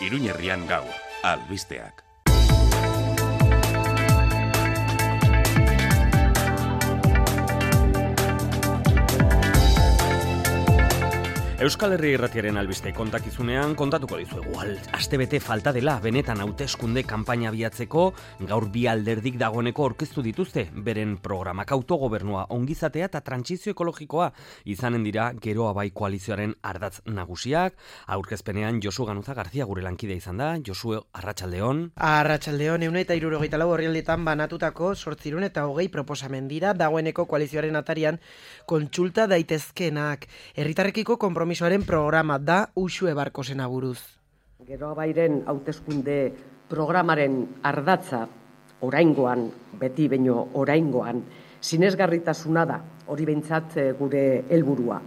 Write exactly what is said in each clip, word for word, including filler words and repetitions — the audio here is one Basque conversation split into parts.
Iruñerrian gaur, albisteak. Euskal Herri Irratiaren albiste kontakizunean kontatuko dizuegu astebete falta dela benetan hauteskunde kanpaina abiatzeko. Gaur bi alderdik dagoeneko aurkeztu dituzte beren programak. Autogobernua, ongizatea eta trantsizio ekologikoa izanen dira Geroa Bai koalizioaren ardatz nagusiak. Aurkezpenean Josu Ganuza Garzia gure lankidea izan da. Josu, arratsaldeon. Arratsaldeon, ehun eta hirurogeita lau orrialdetan banatutako zortziehun eta hogei proposamen dira dagoeneko koalizioaren atarian kontsulta daitezkenak. Herritarrekiko konpromiso Komisoaren programa da Uxue Barkosena buruz. Geroa Bairen hauteskunde programaren ardatza oraingoan, beti baino oraingoan, sinesgarritasuna da, hori behintzat gure helburua.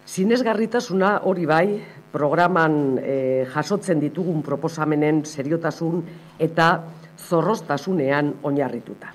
Sinesgarritasuna hori bai, programan eh, jasotzen ditugun proposamenen seriotasun eta zorroztasunean oinarrituta.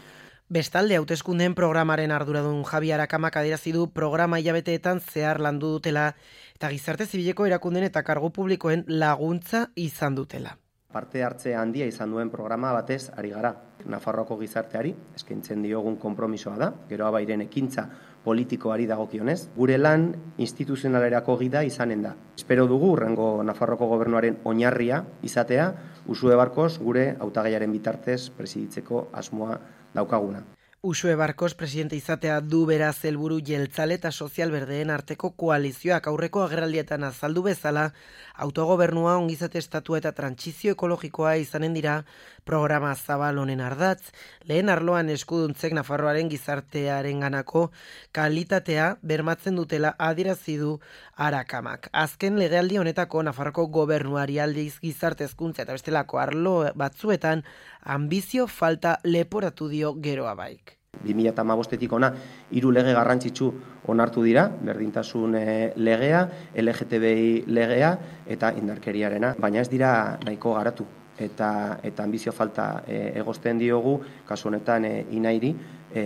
Bestalde, hauteskundeen programaren arduradun Javi Arakamak adierazi du programa hilabeteetan zehar landu dutela eta gizarte zibileko erakunden eta kargu publikoen laguntza izan dutela. Parte hartze handia izan duen programa batez ari gara. Nafarroako gizarteari eskaintzen diogun konpromisoa da, Geroa Bairen ekintza politikoari dagokionez, gure lan instituzionalerako gida izanen da. Espero dugu hurrengo Nafarroako gobernuaren oinarria izatea, Uxue Barkos gure hautagaiaren bitartez presiditzeko asmoa daukaguna. Uxue Barkos presidente izatea du beraz helburu jeltzale eta sozial berdeen arteko koalizioak aurreko agerraldietan azaldu bezala, autogobernua, ongizate estatua eta trantsizio ekologikoa izanen dira programa zabal honen ardatz. Lehen arloan eskuduntzek Nafarroaren gizartearenganako kalitatea bermatzen dutela adierazi du Arakamak. Azken legealdi honetako Nafarroko gobernuari aldiz gizarte hezkuntza eta bestelako arlo batzuetan ambizio falta leporatu dio Geroa Baik. bi mila hamabostetik ona hiru lege garrantzitsu onartu dira, berdintasun legea, L G T B I legea eta indarkeriarena, baina ez dira nahiko garatu eta eta ambizio falta e, egozten diogu kasu honetan e, inairi e,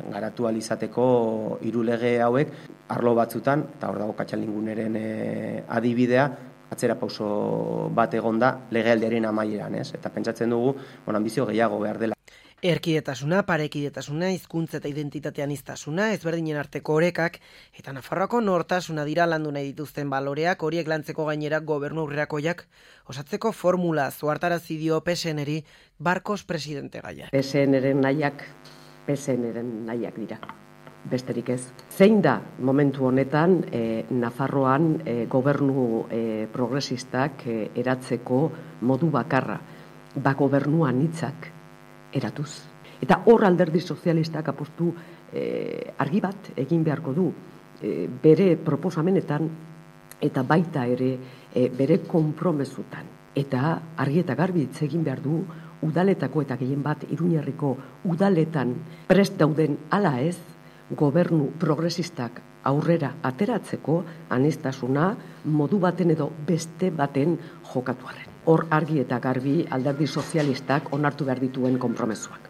garatu ahal izateko hiru lege hauek arlo batzutan, eta hor dago Katxalinguneren e, adibidea, atzera pauso bat egonda legealdiaren amaieran, ez? Eta pentsatzen dugu, bon, ambizio gehiago behar dela. Erkidetasuna, parekidetasuna, hizkuntza eta identitate aniztasuna, ezberdinen arteko orekak eta Nafarroako nortasuna dira landu nahi dituzten baloreak, horiek lantzeko gainera gobernu aurrerakoiak osatzeko formula zuhartarazi dio P S N-eri Barkos presidente gaia. P S N-eren nahiak, P S N-eren nahiak dira. Besterik ez. Zein da momentu honetan eh, Nafarroan eh, gobernu eh, progresistak eh, eratzeko modu bakarra, ba gobernuan hitzak eratuz. Eta hor alderdi sozialistak apostu eh, argi bat egin beharko du eh, bere proposamenetan eta baita ere eh, bere konpromesutan. Eta argi eta garbi hitz egin behar du udaletako eta gehien bat Iruñerriko udaletan prest dauden ala ez gobernu progresistak aurrera ateratzeko aniztasuna modu baten edo beste baten jokatuaren. Hor argi eta garbi alderdi sozialistak onartu behar dituen konpromezuak.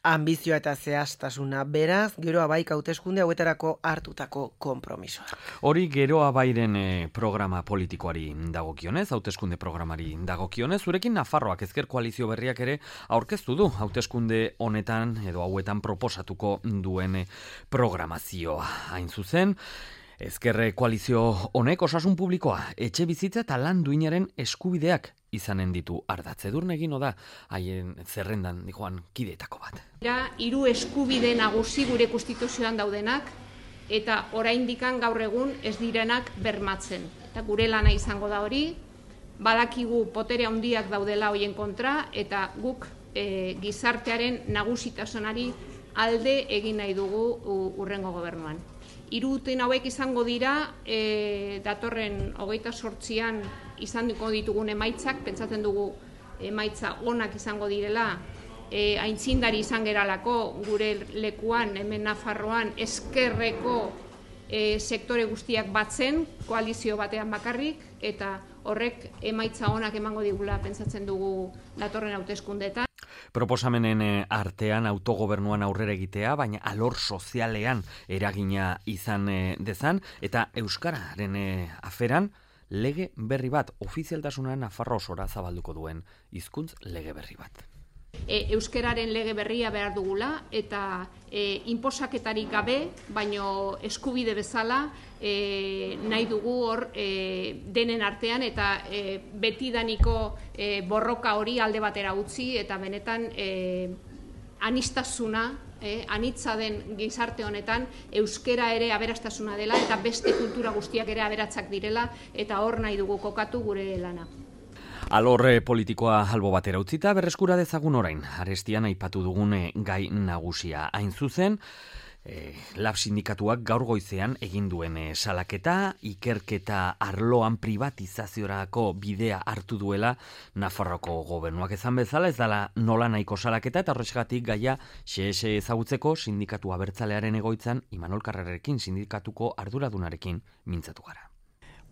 Ambizioa eta zehaztasuna beraz, Geroa Baik hauteskunde hauetarako hartutako konpromisoa. Hori Geroa Bairen eh, programa politikoari dagokionez, hauteskunde programari dagokionez, zurekin Nafarroak ezker koalizio berriak ere aurkeztu du hauteskunde honetan edo hauetan proposatuko duen programazioa. Hain zuzen, ezker koalizio honek osasun publikoa, etxe bizitza eta lan duinaren eskubideak izanen ditu ardatz. Edurne egin da haien zerrendan dijoan kideetako bat. Hiru eskubide nagusi gure konstituzioan daudenak eta oraindikan gaur egun ez direnak bermatzen. Eta gure lana izango da hori, badakigu botere handiak daudela hoien kontra eta guk e, gizartearen nagusitasunari alde egin nahi dugu urrengo gobernuan. Hiru urte hauek izango dira e, datorren hogeita zortzian izango ditugun emaitzak, pentsatzen dugu emaitza onak izango direla, e, aintzindari izan geralako gure lekuan, hemen Nafarroan, ezkerreko e, sektore guztiak batzen, koalizio batean bakarrik, eta horrek emaitza onak emango digula pentsatzen dugu datorren hauteskundeetan. Proposamenen artean autogobernuan aurrera egitea, baina alor sozialean eragina izan dezan, eta euskararen aferan lege berri bat, ofizialtasuna Nafarroa osora zabalduko duen hizkuntz lege berri bat. E, euskeraren lege berria behar dugula eta e, inposaketarik gabe, baino eskubide bezala e, nahi dugu hor e, denen artean eta e, betidaniko e, borroka hori alde batera utzi eta benetan e, anistasuna, e, anitza den gizarte honetan euskera ere aberastasuna dela eta beste kultura guztiak ere aberatsak direla eta hor nahi dugu kokatu gure lana. Alor politikoa albo batera utzita, berreskura dezagun orain, arestian aipatu dugune gai nagusia. Hain zuzen, e, lab sindikatuak gaur goizean egin duen e, salaketa, ikerketa arloan privatizaziorako bidea hartu duela Nafarroko gobernuak ezan bezala, ez dela nola nahiko salaketa, eta horrexegatik gaia xexe ezagutzeko sindikatu abertzalearen egoitzan Imanol Karrerarekin, sindikatuko arduradunarekin mintzatu gara.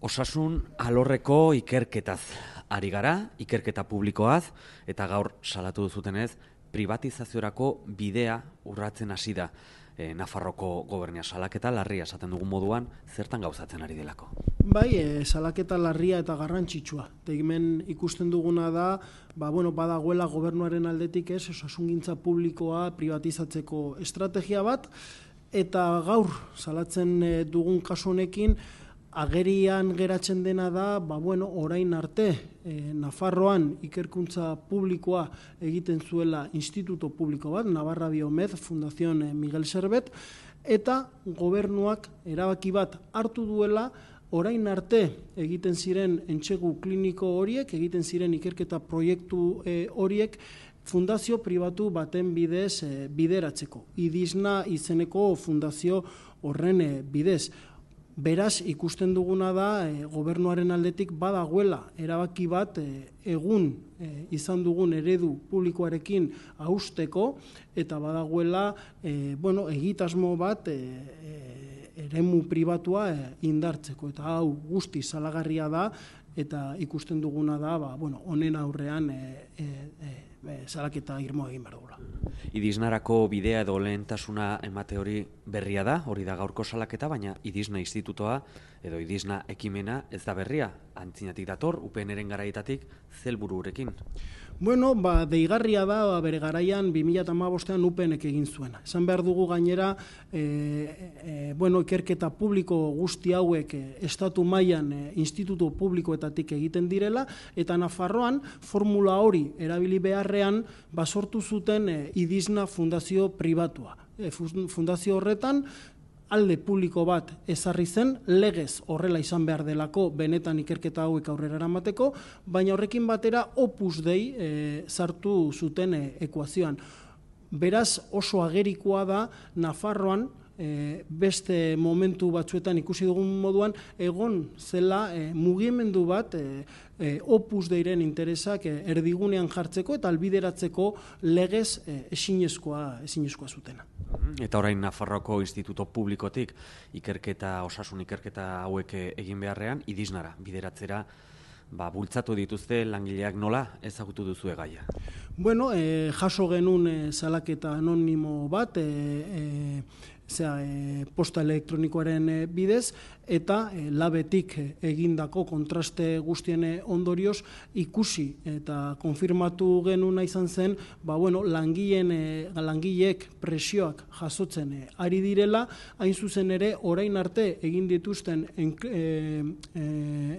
Osasun alorreko ikerketaz ari gara, ikerketa publikoaz, eta gaur salatu duzutenez, privatizaziorako bidea urratzen hasi da e, Nafarroko gobernia. Salaketa larria esaten dugun moduan, zertan gauzatzen ari delako? Bai, e, salaketa larria eta garrantzitsua. Hemen ikusten duguna da, ba, bueno, badagoela gobernuaren aldetik ez, osasungintza publikoa privatizatzeko estrategia bat, eta gaur salatzen e, dugun kasu honekin, agerian geratzen dena da, ba, bueno, orain arte, e, Nafarroan ikerkuntza publikoa egiten zuela instituto publiko bat, Navarra Biomed, Fundación Miguel Servet, eta gobernuak erabaki bat hartu duela, orain arte egiten ziren entsegu kliniko horiek, egiten ziren ikerketa proiektu e, horiek, fundazio pribatu baten bidez e, bideratzeko. Idisna izeneko fundazio horren e, bidez. Beraz, ikusten duguna da, e, gobernuaren aldetik badagoela erabaki bat e, egun e, izan dugun eredu publikoarekin hausteko, eta badagoela e, bueno, egitasmo bat e, e, eremu pribatua e, indartzeko. Eta hau guzti salagarria da, eta ikusten duguna da, ba, bueno, honen aurrean e, e, e, e, salaketa irmoa egin behar dugula. Idisnarako bidea edo lehentasuna emate hori berria da, hori da gaurko salaketa, baina Idisna institutoa edo Idisna ekimena ez da berria, antzinatik dator, U P N-ren garaietatik zelbururekin. Bueno, ba, deigarria da, ba, bere garaian bi mila hamabostean U P N-ek egin zuena. Esan behar dugu gainera, e, e, bueno, ikerketa publiko guzti hauek e, estatu mailan e, instituto publikoetatik egiten direla, eta Nafarroan formula hori erabili beharrean basortu zuten e, Idisna fundazio pribatua. E, fundazio horretan, alde publiko bat ezarri zen, legez horrela izan behar delako benetan ikerketa hauek aurrera eramateko, baina horrekin batera Opus Dei e, sartu zuten e, ekuazioan. Beraz oso agerikoa da Nafarroan, E, beste momentu batzuetan ikusi dugun moduan, egon zela e, mugimendu bat e, e, Opus Deiren interesak e, erdigunean jartzeko eta albideratzeko legez e, ezinezkoa, ezinezkoa zutena. Eta orain Nafarroako instituto publikotik ikerketa, osasun ikerketa hauek egin beharrean, Idisnara bideratzera ba, bultzatu dituzte langileak, nola ezagutu duzu gaia? Bueno, e, jaso genuen e, salaketa anonimo bat, e, e, Zea, e, posta elektronikoaren e, bidez, eta e, labetik e, egindako kontraste guztien ondorioz ikusi eta konfirmatu genuna izan zen, ba, bueno, langileen, e, langileek presioak jasotzen e, ari direla, hain zuzen ere orain arte egin dituzten en, e, e,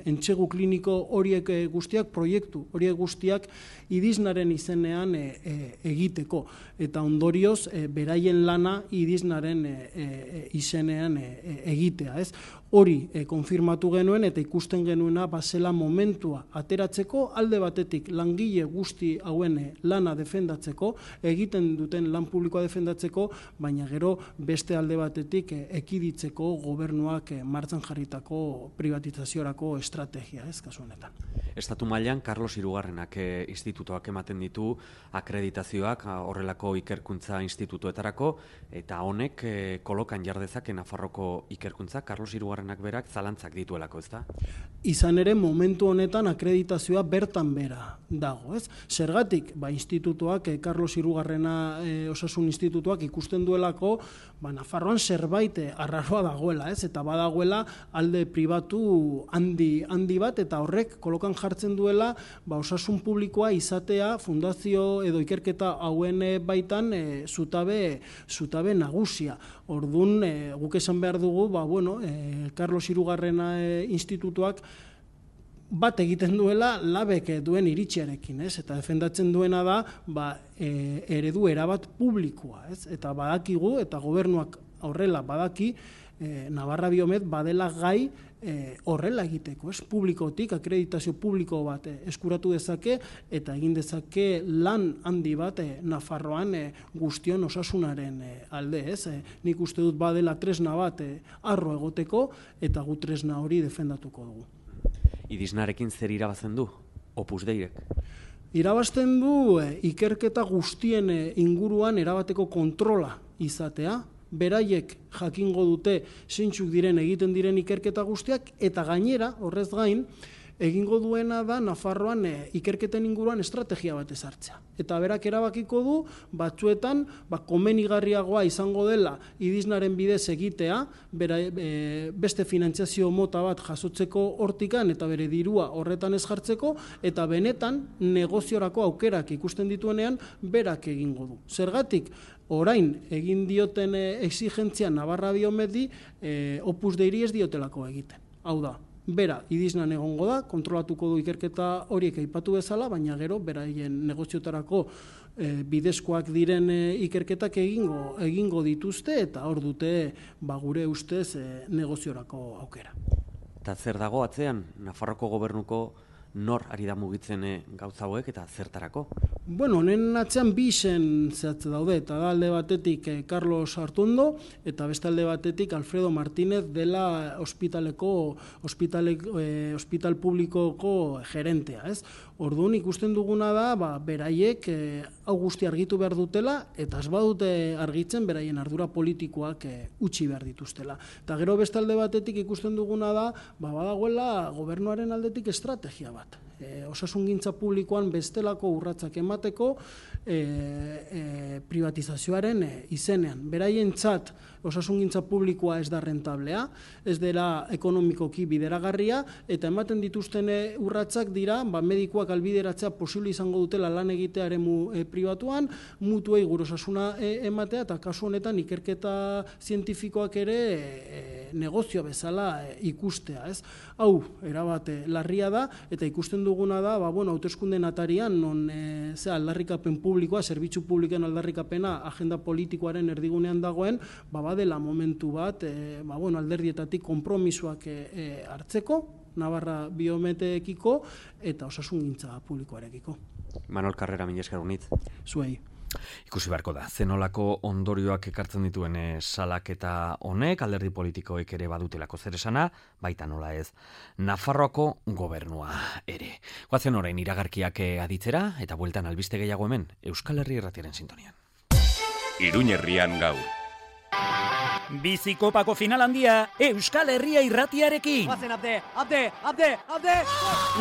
entsegu kliniko horiek e, guztiak, proiektu horiek guztiak Idisnaren izenean e, e, egiteko, eta ondorioz e, beraien lana Idisnaren e, E, izenean e, e, egitea, ez? Hori e, konfirmatu genuen eta ikusten genuena bazela momentua ateratzeko, alde batetik langile guzti hauen e, lana defendatzeko, egiten duten lan publikoa defendatzeko, baina gero beste alde batetik e, ekiditzeko gobernuak e, martxan jarritako privatizaziorako estrategia, ez, kasu honetan. Estatu mailan Carlos Hirugarrenak e, institutoak ematen ditu akreditazioak horrelako ikerkuntza institutoetarako, eta honek e, kolokan jardezake Nafarroko ikerkuntza, Carlos Hirugarrenak berak zalantzak dituelako, ez da? Izan ere, momentu honetan akreditazioa bertan bera dago, ez? Zergatik, ba, institutuak, eh, Carlos Hirugarrena eh, osasun institutuak ikusten duelako, ba, Nafarroan zerbait eh, arraroa dagoela, ez? Eta badagoela alde pribatu handi, handi bat, eta horrek kolokan jartzen duela, ba, osasun publikoa izatea fundazio edo ikerketa hauen eh, baitan eh, zutabe, zutabe nagusia. Ordun, eh, guk esan behar dugu, ba, bueno, eh, Carlos Hirugarrena eh, institutuak bat egiten duela labek duen iritziarekin, ez? Eta defendatzen duena da, ba, e, eredu erabat publikoa, ez? Eta badakigu, eta gobernuak horrela badaki, e, Navarra Biomed badela gai e, horrela egiteko, ez? Publikotik, akreditazio publiko bat e, eskuratu dezake, eta egin dezake lan handi bat e, Nafarroan e, guztion osasunaren e, alde, ez? E, nik uste dut badela tresna bat e, arro egoteko, eta gu tresna hori defendatuko dugu. Idisnarekin zer irabazen du, Opus Deirek? Irabazten du eh, ikerketa guztien eh, inguruan erabateko kontrola izatea, beraiek jakingo dute zeintzuk diren egiten diren ikerketa guztiak, eta gainera, horrez gain, egingo duena da Nafarroan e, ikerketen inguruan estrategia bat ezartzea. Eta berak erabakiko du, batzuetan, ba, komenigarriagoa izango dela idisnaren bidez egitea, bera, e, beste finantziazio mota bat jasotzeko hortikan eta bere dirua horretan ez jartzeko, eta benetan negoziorako aukerak ikusten dituenean berak egingo du. Zergatik, orain egin dioten e, exigentzia Navarra Biomedi e, Opus Deiri ez diotelako egiten. Hau da, bera, idiznan egongo da, kontrolatuko du ikerketa horiek aipatu bezala, baina gero, beraien negoziotarako e, bidezkoak diren e, ikerketak egingo, egingo dituzte, eta hor dute, ba, gure ustez, e, negoziorako aukera. Eta zer dago atzean, Nafarroko gobernuko nor ari da mugitzen e, gauza hauek eta zertarako? Bueno, honen atzean bi izen zehatze daude, eta da alde batetik eh, Carlos Artondo, eta beste alde batetik Alfredo Martínez dela ospitaleko, ospitale, eh, ospital publikoko gerentea, ez? Orduan ikusten duguna da, ba, beraiek eh, hau guzti argitu behar dutela, eta ez badute argitzen beraien ardura politikoak eh, utzi behar dituztela. Eta gero beste alde batetik ikusten duguna da, ba, badagoela gobernuaren aldetik estrategia bat. E, osasungintza publikoan bestelako urratsak emateko e, e, privatizazioaren e, izenean. Beraientzat osasungintza publikoa ez da rentablea, ez dela ekonomikoki bideragarria, eta ematen dituzten urratsak dira, ba, medikuak albideratzea posible izango dutela lan egitea eremu e, pribatuan, mutuei gure osasuna e, ematea, eta kasu honetan ikerketa zientifikoak ere e, negozio bezala e, ikustea, ez? Hau, erabat e, larria da, eta ikusten duguna da, ba, bueno, hauteskunde atarian, non e, ze aldarrikapen publikoa, zerbitzu publiken aldarrikapena agenda politikoaren erdigunean dagoen, ba, badela momentu bat, e, ba, bueno, alderdietatik konpromisoak e, e, hartzeko, Navarra Biometekiko eta osasungintza publikoarekiko. Manol Carrera, mila esker unitz. Zuei. Ikusi beharko da, zenolako ondorioak ekartzen dituen salaketa honek, alderdi politikoek ere badutelako zer esana, baita nola ez, Nafarroako gobernua ere. Goazen orain iragarkiak aditzera, eta bueltan albiste gehiago hemen, Euskal Herri Irratiaren sintonian. Iruña Herrian gaur. Bizikopako final handia Euskal Herria Irratiarekin. Bazen abde, abde, abde, abde!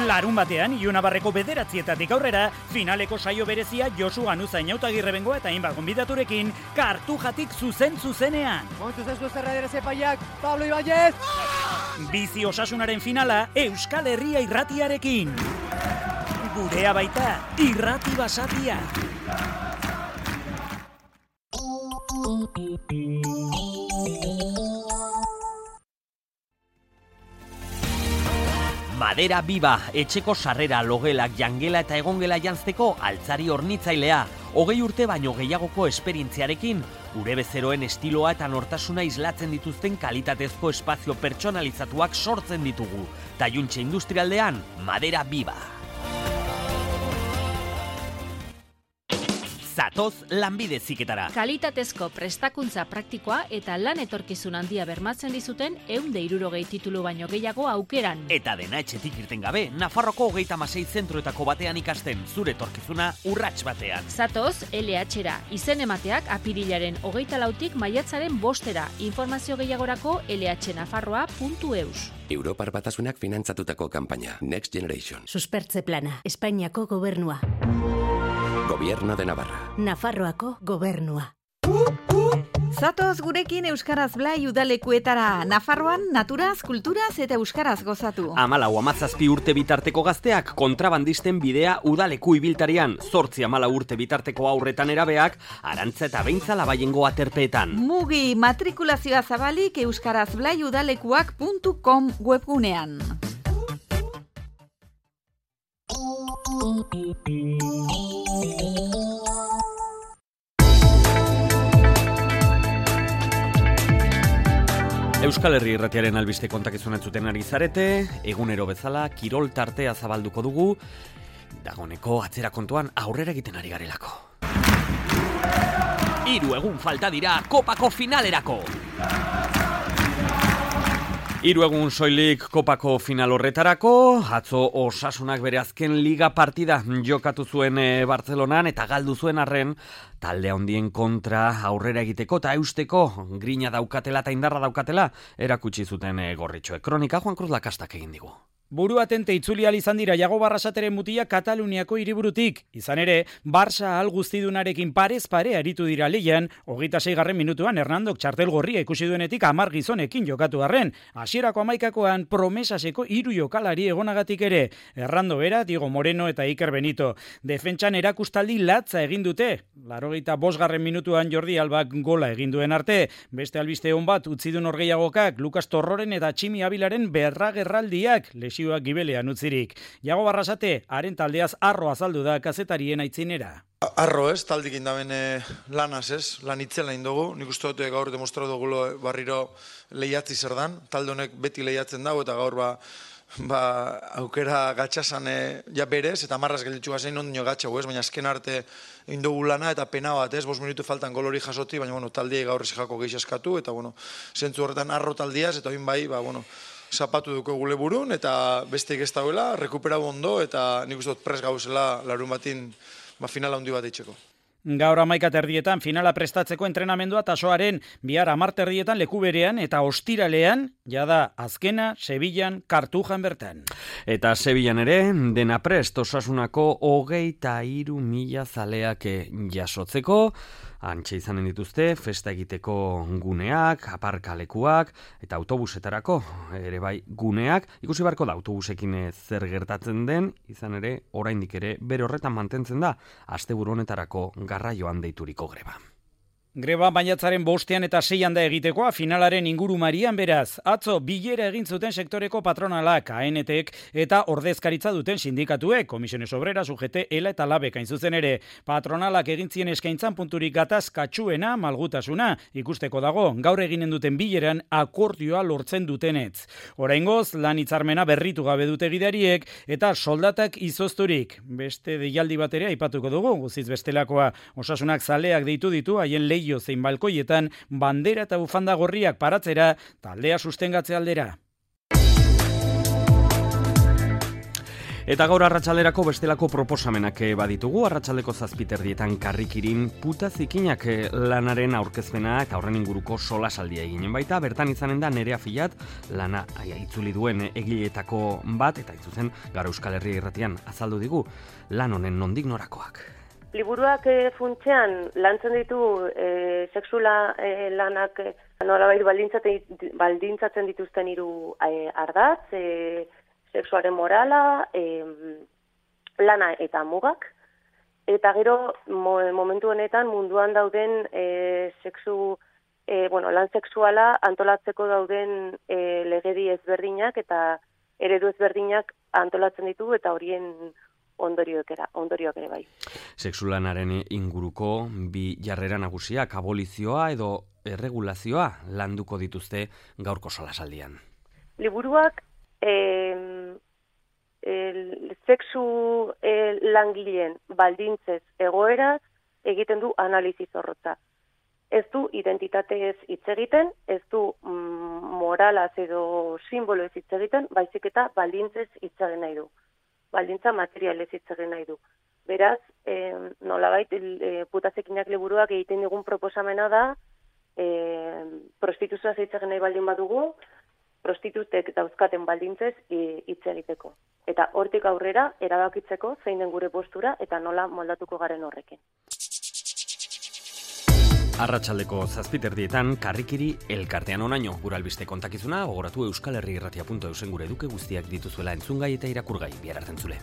Larun batean, Ionabarreko bederatzietatik aurrera, finaleko saio berezia Josu Ganuza Inautagirre Bengoa eta hainbat gonbidaturekin, Kartujatik zuzen zuzenean. Momentuz ez du zerra ere zepaiak, Pablo Ibáñez! Bizi osasunaren finala Euskal Herria Irratiarekin. Gurea baita, irrati basatia. Madera Biba, etxeko sarrera, logelak, jangela eta egongela janzteko altzari hornitzailea. Hogei urte baino gehiagoko esperientziarekin, gure bezeroen estiloa eta nortasuna islatzen dituzten kalitatezko espazio pertsonalizatuak sortzen ditugu. Taiuntxe industrialdean, Madera Biba. Zatoz lanbide ziketara. Kalitatezko prestakuntza praktikoa eta lan etorkizun handia bermatzen dizuten ehun eta hirurogei titulu baino gehiago aukeran. Eta dena etxetik irten gabe, Nafarroko hogeita hamasei zentroetako batean ikasten, zure etorkizuna urrats batean. Zatoz L H-ra, izen emateak apirilaren hogeita lautik maiatzaren bostera. Informazio gehiagorako l h nafarroa puntu e u s. Europar Batasunak finantzatutako kanpaina Next Generation. Suspertze plana, Espainiako gobernua. Gobierno de Navarra. Nafarroako gobernua. Zatoz gurekin Euskaraz Blai udalekuetara. Nafarroan naturaz, kulturaz eta euskaraz gozatu. Amalau amazazpi urte bitarteko gazteak kontrabandisten bidea udaleku ibiltarian. Zortzi amalau urte bitarteko aurretan erabeak arantza eta beintza labaiengo aterpeetan. Mugi matrikulazioa zabalik euskaraz blai udalekuak puntu com webgunean. Euskal Herri Irratiaren albiste kontakizun entzuten ari zarete, egunero bezala kirol tartea zabalduko dugu, dagoneko atzera kontuan aurrera egiten ari garelako. Hiru egun falta dira kopako finalerako. Hiru egun soilik kopako final horretarako, atzo Osasunak bere azken liga partida jokatu zuen Bartzelonan eta galdu zuen arren, talde handien kontra aurrera egiteko eta eusteko grina daukatela eta indarra daukatela erakutsi zuten gorritxoek. Kronika Juan Cruz Lakastak egin digu. Buru atente itzuli al izan dira Iago Barrasateren mutia Kataluniako hiriburutik. Izan ere, Barça al guztidunarekin parez pare aritu dira leian, hogeita seigarren minutuan Hernandok txartel gorria ikusi duenetik hamar gizonekin jokatu arren. Hasierako hamaikakoan promesaseko hiru jokalari egonagatik ere. Hernando Bera, Diego Moreno eta Iker Benito. Defentsan erakustaldi latza egin dute. Laurogeita bosgarren minutuan Jordi Albak gola egin duen arte. Beste albiste on bat utzi du norgehiagokak Lukas Torroren eta Tximi Abilaren berragerraldiak lesioak gibelean utzirik. Iago Barrasate, haren taldeaz arro azaldu da kazetarien aitzinera. Arro ez, taldik indaben e, lanaz ez, lan itzela indogu. Nik uste dut gaur demostratu dugu barriro lehiatzi zer dan. Talde honek beti lehiatzen dago eta gaur ba, ba aukera gatxasan e, ja berez eta marraz gelditxu gazein ondino gatxau ez, baina azken arte indogu lana eta pena bat ez, bost minutu faltan gol hori jasoti, baina bueno, taldiei gaur ezijako gehi eskatu eta bueno, zentzu horretan arro taldiaz eta oin bai, ba bueno, zapatu duko gule burun eta besteik ez dauela, rekuperau ondo eta nik uste dut pres gauzela larun batin ba, finala handi bat eitzeko. Gaur hamaika terdietan finala prestatzeko entrenamendua tasoaren bihar hamar terdietan leku berean eta ostiralean jada azkena Sevillan Kartujan bertan. Eta Sevillan ere dena prest Osasunako hogeita hiru mila zaleak jasotzeko. Antxe izanen dituzte, festa egiteko guneak, aparkalekuak eta autobusetarako ere bai guneak. Ikusi barko da autobusekin zer gertatzen den, izan ere oraindik ere bere horretan mantentzen da asteburu honetarako garraioan deituriko greba. Greba maiatzaren bostean eta seian da egitekoa finalaren ingurumarian beraz. Atzo bilera egin zuten sektoreko patronalak, A N T-ek eta ordezkaritza duten sindikatuek, Komisiones Obreras, U G T, ELA eta LABek hain zuzen ere. Patronalak egin zien eskaintzan punturik gatazkatsuena, malgutasuna, ikusteko dago, gaur eginen duten bileran akordioa lortzen dutenetz. Oraingoz, lan hitzarmena berritu gabe dute gidariek eta soldatak izozturik. Beste deialdi bat ere aipatuko dugu, guziz bestelakoa. Osasunak zaleak deitu ditu haien lehi zein balkoietan bandera eta bufanda gorriak paratzera taldea sustengatze aldera. Eta gaur arratsalderako bestelako proposamenak baditugu, arratsaldeko zazpiterdietan karrikirin puta zikinak lanaren aurkezpena eta horren inguruko solasaldia eginen baita, bertan izanen da Nerea Filat lana itzuli duen egiletako bat, eta itzuzen gara Euskal Herria Irratian azaldu digu lan honen nondik norakoak. Liburuak e, funtsean lantzen ditu e, sexula e, lanak e, nolabait baldintzatzen dituzten hiru e, ardatz, e, sexuaren morala, e, lana eta mugak, eta gero mo, momentu honetan munduan dauden e, sexu, e, bueno, lan sexuala antolatzeko dauden e, legedi ezberdinak eta eredu ezberdinak antolatzen ditu eta horien ondorioak era, ondorioak ere bai. Sexulanaren inguruko bi jarrera nagusiak abolizioa edo erregulazioa landuko dituzte gaurko solasaldian. Liburuak eh, el, sexu eh, langileen baldintzez egoeraz egiten du analizi zorrotza. Ez du identitatez hitz egiten, ez du mm, moralaz edo simboloez hitz egiten, baizik eta baldintzez hitz egin nahi du. Baldintza materialez hitz egin nahi du. Beraz, eh, nolabait, eh, putazekinak liburuak egiten digun proposamena da, eh, prostituzioa hitz egin nahi baldin badugu, prostitutek dauzkaten baldintzez hitz egiteko. Eta hortik aurrera erabakitzeko zein den gure postura eta nola moldatuko garen horrekin. Arratsaldeko zazpiterdietan karrikiri elkartean onaino. Gure albiste kontakizuna, gogoratu euskal herri irratia puntu eusen gure eduke guztiak dituzuela entzungai eta irakurgai. Bihar arte entzule.